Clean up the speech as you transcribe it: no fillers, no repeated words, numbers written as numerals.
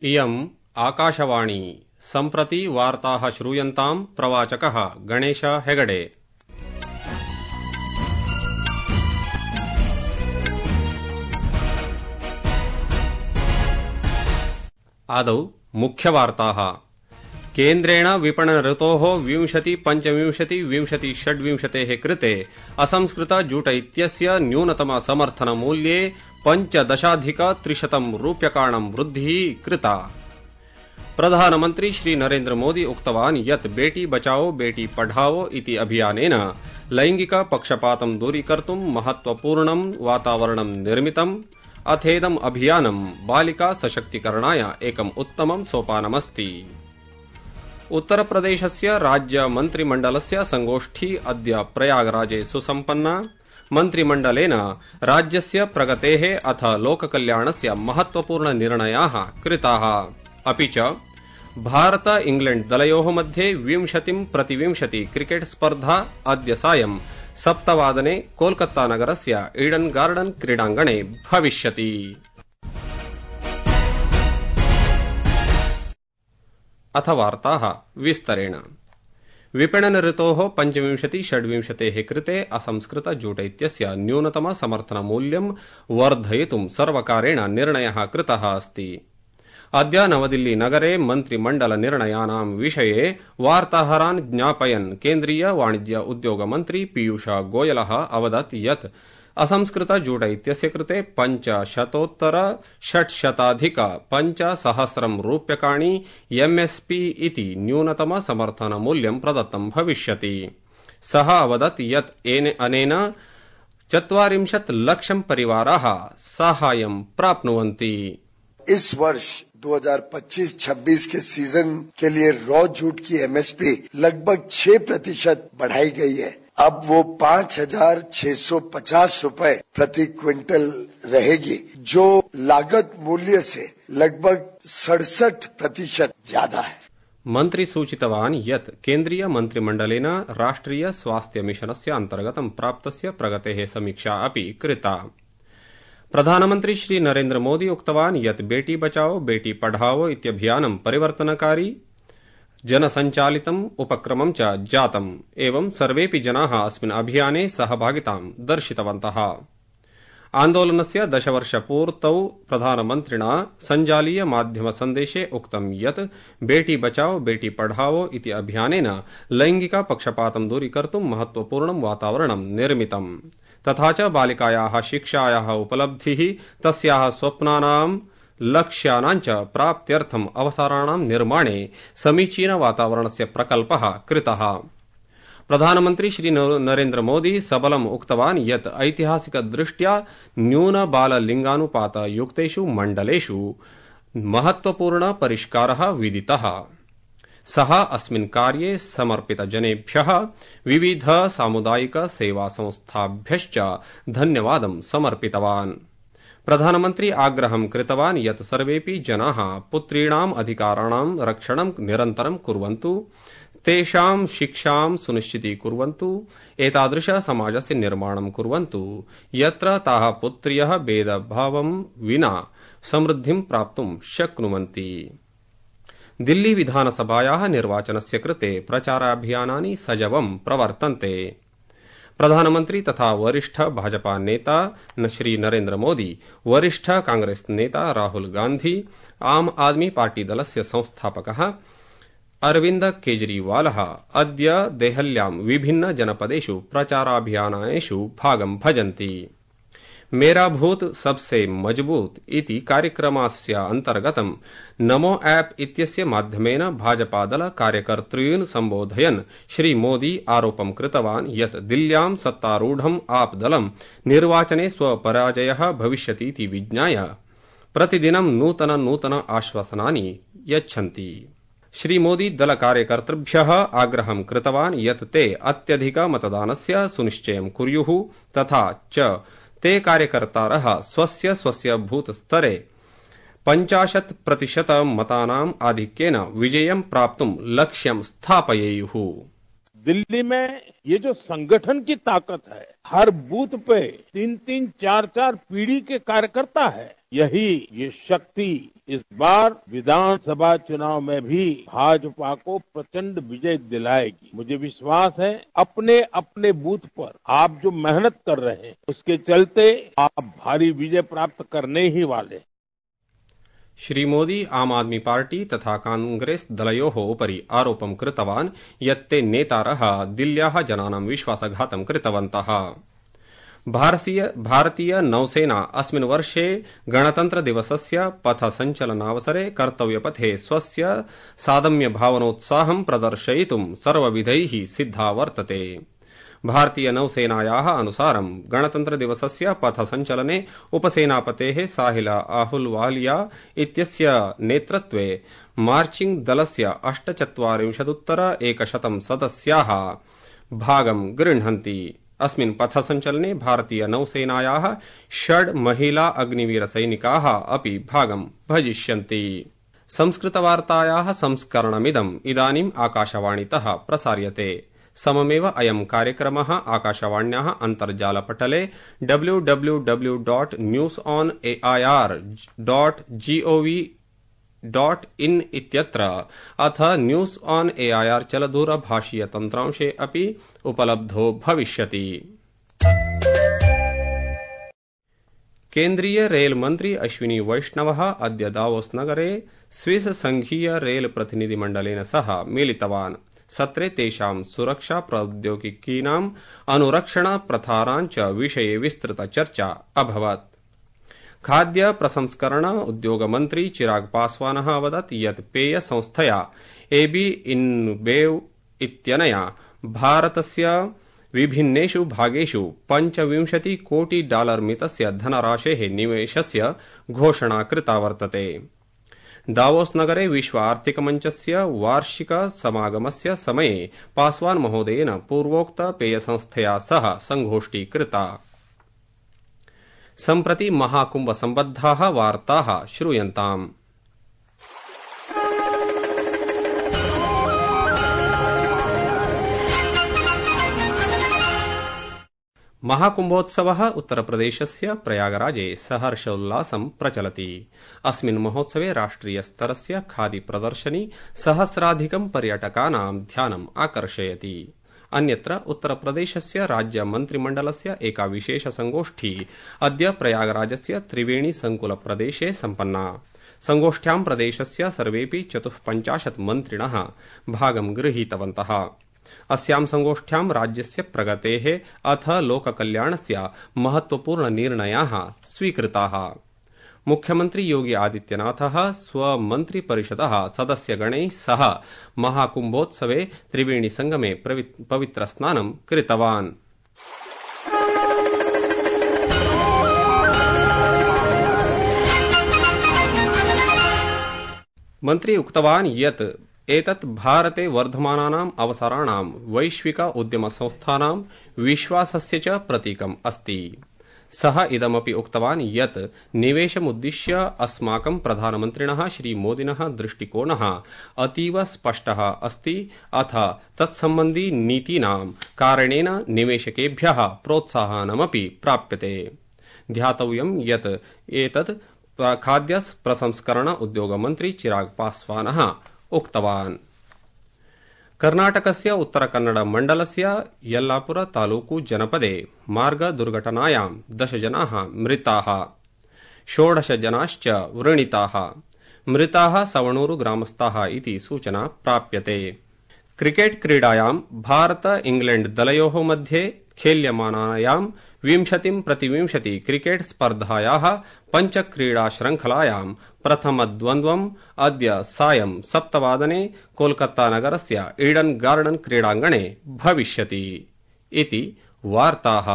इयम् आकाशवाणी सम्प्रति वार्ताः श्रूयन्ताम् प्रवाचकः गणेश हेगडे। आदौ मुख्यवार्ताः। केन्द्रेण विपणन ऋतोः 20-25-20-26 कृते असंस्कृत जूट इत्यस्य न्यूनतम समर्थन मूल्ये 15,300 रूप्यकाणां वृद्धिः कृता। प्रधानमन्त्री श्री नरेन्द्र मोदी उक्तवान् यत् बेटी बचाओ बेटी पढ़ाओ इति अभियानेन लैंगिक पक्षपातं दूरीकर्तुं महत्वपूर्णं वातावरणं निर्मितम्। अथेदम् अभियानं बालिका सशक्तीकरणाय एकम् उत्तमं सोपानमस्ति। उत्तरप्रदेशस्य राज्य मन्त्रिमण्डलस्य संगोष्ठी अद्य प्रयागराजे सुसम्पन्ना। मन्त्रिमण्डलेन राज्यस्य प्रगतेः अथ लोककल्याणस्य महत्वपूर्ण निर्णयाः कृताः। अपि च भारत इंग्लैण्ड दलयोः मध्ये 20-20 क्रिकेट स्पर्धा अद्य सायं 7 वादने कोलकाता नगरस्य ईडन गार्डन क्रीडाङ्गणे भविष्यति। अथ वार्ताः विस्तरेण। विपणन ऋतोः 25-26 कृते असंस्कृत जूट इत्यस्य न्यूनतम समर्थन मूल्यं वर्धयितुं सर्वकारेण निर्णयः कृतः अस्ति। अद्य नवदिल्ली नगरे मन्त्रिमण्डल निर्णयानां विषये वार्ताहरान् ज्ञापयन् केन्द्रीय वाणिज्य उद्योग मन्त्री पीयूष गोयलः अवदत् यत् असंस्कृत जूट इत्यस्य कृते 500-600 रूप्यकाणि एमएसपी इति न्यूनतम समर्थन मूल्यं प्रदत्तं भविष्यति। सः अवदत् यत् अनेन 40 लक्षं परिवाराः साहाय्यं प्राप्नुवन्ति। इस वर्ष 2025-26 के सीजन के लिए रॉ जूट की एमएसपी लगभग 6% बढ़ाई गई है। अब वो 5,650 रुपए प्रति क्विंटल रहेगी, जो लागत मूल्य से लगभग 67% ज्यादा है। मन्त्री सूचितवान् यत् केन्द्रीय मन्त्रिमण्डलेन राष्ट्रिय स्वास्थ्य मिशनस्य अन्तर्गतं प्राप्तस्य प्रगतेः समीक्षा अपि कृता। प्रधानमन्त्री श्री नरेन्द्र मोदी उक्तवान् यत् बेटी बचाओ बेटी पढ़ाओ इत्यभियानं परिवर्तनकारी जनसञ्चालितम् उपक्रमं च जातम्। एवं सर्वेऽपि जनाः अस्मिन् अभियाने सहभागितां दर्शितवन्तः। आन्दोलनस्य 10 वर्षपूर्तौ प्रधानमन्त्रिणा सञ्जालीय माध्यम सन्देशे उक्तं यत् बेटी बचाओ बेटी पढ़ाओ इति अभियानेन लैंगिक पक्षपातं दूरीकर्तुं महत्वपूर्णं वातावरणं निर्मितम्। तथा च बालिकायाः शिक्षायाः उपलब्धिः तस्याः स्वप्नानां लक्ष्यानां च प्राप्त्यर्थम् अवसराणां निर्माणे समीचीन वातावरणस्य प्रकल्पः कृतः। प्रधानमन्त्री श्री नरेन्द्र मोदी सबलम् उक्तवान् यत् ऐतिहासिक दृष्ट्या न्यून बाल लिंगानुपात युक्तेषु मण्डलेषु महत्वपूर्ण परिष्कारः विदितः। सः अस्मिन् कार्ये समर्पित जनेभ्यः विविध सामुदायिक सेवा संस्थाभ्यश्च धन्यवादं समर्पितवान्। प्रधानमन्त्री आग्रहं कृतवान् यत् सर्वेऽपि जनाः पुत्रीणाम् अधिकाराणां रक्षणं निरन्तरं कुर्वन्तु, तेषां शिक्षां सुनिश्चितीकुर्वन्तु, एतादृश समाजस्य निर्माणं कुर्वन्तु यत्र ताः पुत्र्यः भेदभावं विना समृद्धिं प्राप्तुं शक्नुवन्ति। दिल्ली विधानसभायाः निर्वाचनस्य कृते प्रचाराभियानानि सजवं प्रवर्तन्ते। प्रधानमन्त्री तथा वरिष्ठ भाजपा नेता श्री नरेन्द्र मोदी, वरिष्ठ कांग्रेस नेता राहुल गांधी, आम आदमी पार्टी दलस्य संस्थापकः अरविन्द केजरीवालः अद्य देहल्यां विभिन्न जनपदेषु प्रचाराभियानेषु भागं भजन्ति। मेरा भूत सबसे मजबूत इति कार्यक्रमस्य अन्तर्गतं नमो ऐप इत्यस्य माध्यमेन भाजपादल कार्यकर्तॄन् सम्बोधयन् श्री मोदी आरोपं कृतवान् यत् दिल्ल्यां सत्तारूढम् आप दलं निर्वाचने स्वपराजयः भविष्यतीति विज्ञाय प्रतिदिनं नूतन आश्वासनानि यच्छन्ति। श्री मोदी दल कार्यकर्तृभ्यः आग्रहं कृतवान् यत् ते अत्यधिक मतदानस्य सुनिश्चयं कुर्युः, तथा च ते कार्यकर्तारः स्वस्य बूथ स्तरे 50% मतानाम् आधिक्येन विजयं प्राप्तुं लक्ष्यं स्थापयेयुः। दिल्ली में ये जो संगठन की ताकत है, हर बूथ पे 3-3, 4-4 पीढ़ी के कार्यकर्ता है, यही ये शक्ति इस बार विधानसभा चुनाव में भी भाजपा को प्रचंड विजय दिलाएगी। मुझे विश्वास है अपने अपने बूथ पर आप जो मेहनत कर रहे हैं उसके चलते आप भारी विजय प्राप्त करने ही वाले। श्री मोदी आम आदमी पार्टी तथा कांग्रेस दलयोः उपरि आरोपं कृतवान् यत् ते नेतारः दिल्ल्याः जनानां विश्वासघातं कृतवन्तः। भारतीय नौसेना अस्मिन् वर्षे गणतन्त्रदिवसस्य पथसञ्चलनावसरे कर्तव्यपथे स्वस्य सादम्य भावनोत्साहं प्रदर्शयितुं सर्वविधैः सिद्धा वर्तते। भारतीय नौसेनायाः अनुसारं गणतन्त्रदिवसस्य पथसञ्चलने उपसेनापतेः साहिल अहलुवालिया इत्यस्य नेतृत्वे मार्चिंग दलस्य 48 सदस्याः भागं गृह्णन्ति। अस्मिन् पथसञ्चलने भारतीय नौसेनायाः 6 महिला अग्निवीरसैनिकाः अपि भागं भजिष्यन्ति। संस्कृतवार्तायाः संस्करणमिदम् इदानीम् आकाशवाणीतः प्रसार्यते। सममेव अयं कार्यक्रमः आकाशवाण्याः अन्तर्जालपटले www.newsonair.gov.in इत्यत्र अथ न्यूज ऑन एआईआर चलदूरभाषीय तन्त्रांशे अपि उपलब्धो भविष्यति। केन्द्रीय रेल मन्त्री अश्विनी वैष्णवः अद्य दावोस नगरे स्विस संघीय रेल प्रतिनिधिमण्डलेन सह मिलितवान्। सत्रे तेषां सुरक्षा प्रौद्योगिकीनाम् अनुरक्षण प्रथानां च विषये विस्तृत चर्चा अभवत्। खाद्य प्रसंस्करण उद्योग मन्त्री चिराग पासवानः अवदत् यत् पेय संस्थया एबी इन्बेव इत्यनया भारतस्य विभिन्नेषु भागेषु $25 कोटि मितस्य धनराशेः निवेशस्य घोषणा कृता वर्तते। दावोस नगरे विश्व आर्थिक मञ्चस्य वार्षिक समागमस्य समये पासवान महोदयेन पूर्वोक्त पेय संस्थया सह संगोष्ठी कृता। सम्प्रति महाकुंभ सम्बद्धाः वार्ताः श्रूयन्ताम्। महाकुंभोत्सवः उत्तरप्रदेशस्य प्रयागराजे सहर्षोल्लासं प्रचलति। अस्मिन् महोत्सवे राष्ट्रियस्तरस्य खादी प्रदर्शनी सहस्राधिकं पर्यटकानां ध्यानम् आकर्षयति। अन्यत्र उत्तरप्रदेशस्य राज्य मन्त्रिमण्डलस्य एका विशेष संगोष्ठी अद्य प्रयागराजस्य त्रिवेणी संकुल प्रदेशे सम्पन्ना। संगोष्ठ्यां प्रदेशस्य सर्वेपि 54 मन्त्रिणः भागं गृहीतवन्तः। अस्यां संगोष्ठ्यां राज्यस्य प्रगतेः अथ लोककल्याणस्य महत्वपूर्ण निर्णयाः स्वीकृताः। मुख्यमंत्री योगी आदित्यनाथः स्वमन्त्रिपरिषदः सदस्यगणैः सह महाकुम्भोत्सवे त्रिवेणी संगमे पवित्रस्नानं कृतवान्। मन्त्री उक्तवान् यत् एतत् भारते वर्धमानानाम् अवसराणां वैश्विक उद्यमसंस्थानां विश्वासस्य च प्रतीकम् अस्ति। सः इदमपि उक्तवान् यत् निवेशमुद्दिश्य अस्माकं प्रधानमन्त्रिणः श्रीमोदिनः दृष्टिकोणः अतीव स्पष्टः अस्ति अथ तत्सम्बन्धी नीतीनां कारणेन निवेशकेभ्यः प्रोत्साहनमपि प्राप्यते। ध्यातव्यं यत् एतत् खाद्य प्रसंस्करण उद्योगमन्त्री चिराग पासवानः उक्तवान्। कर्नाटकस्य उत्तरकन्नड मण्डलस्य यल्लापुर तालूकु जनपदे मार्ग दुर्घटनायां 10 जनाः मृताः, 16 जनाश्च व्रणिताः। मृताः सवणूरु ग्रामस्थाः इति सूचना प्राप्यते। क्रिकेट क्रीडायां भारत इंग्लैंड दलयोः मध्ये खेल्यमानायां 20-20 क्रिकेट स्पर्धायाः पञ्चक्रीडा श्रृंखलायां प्रथमद्वन्द्वम् अद्य सायं 7 वादने कोलकाता नगरस्य ईडन गार्डन क्रीडाङ्गणे भविष्यति इति वार्ताः।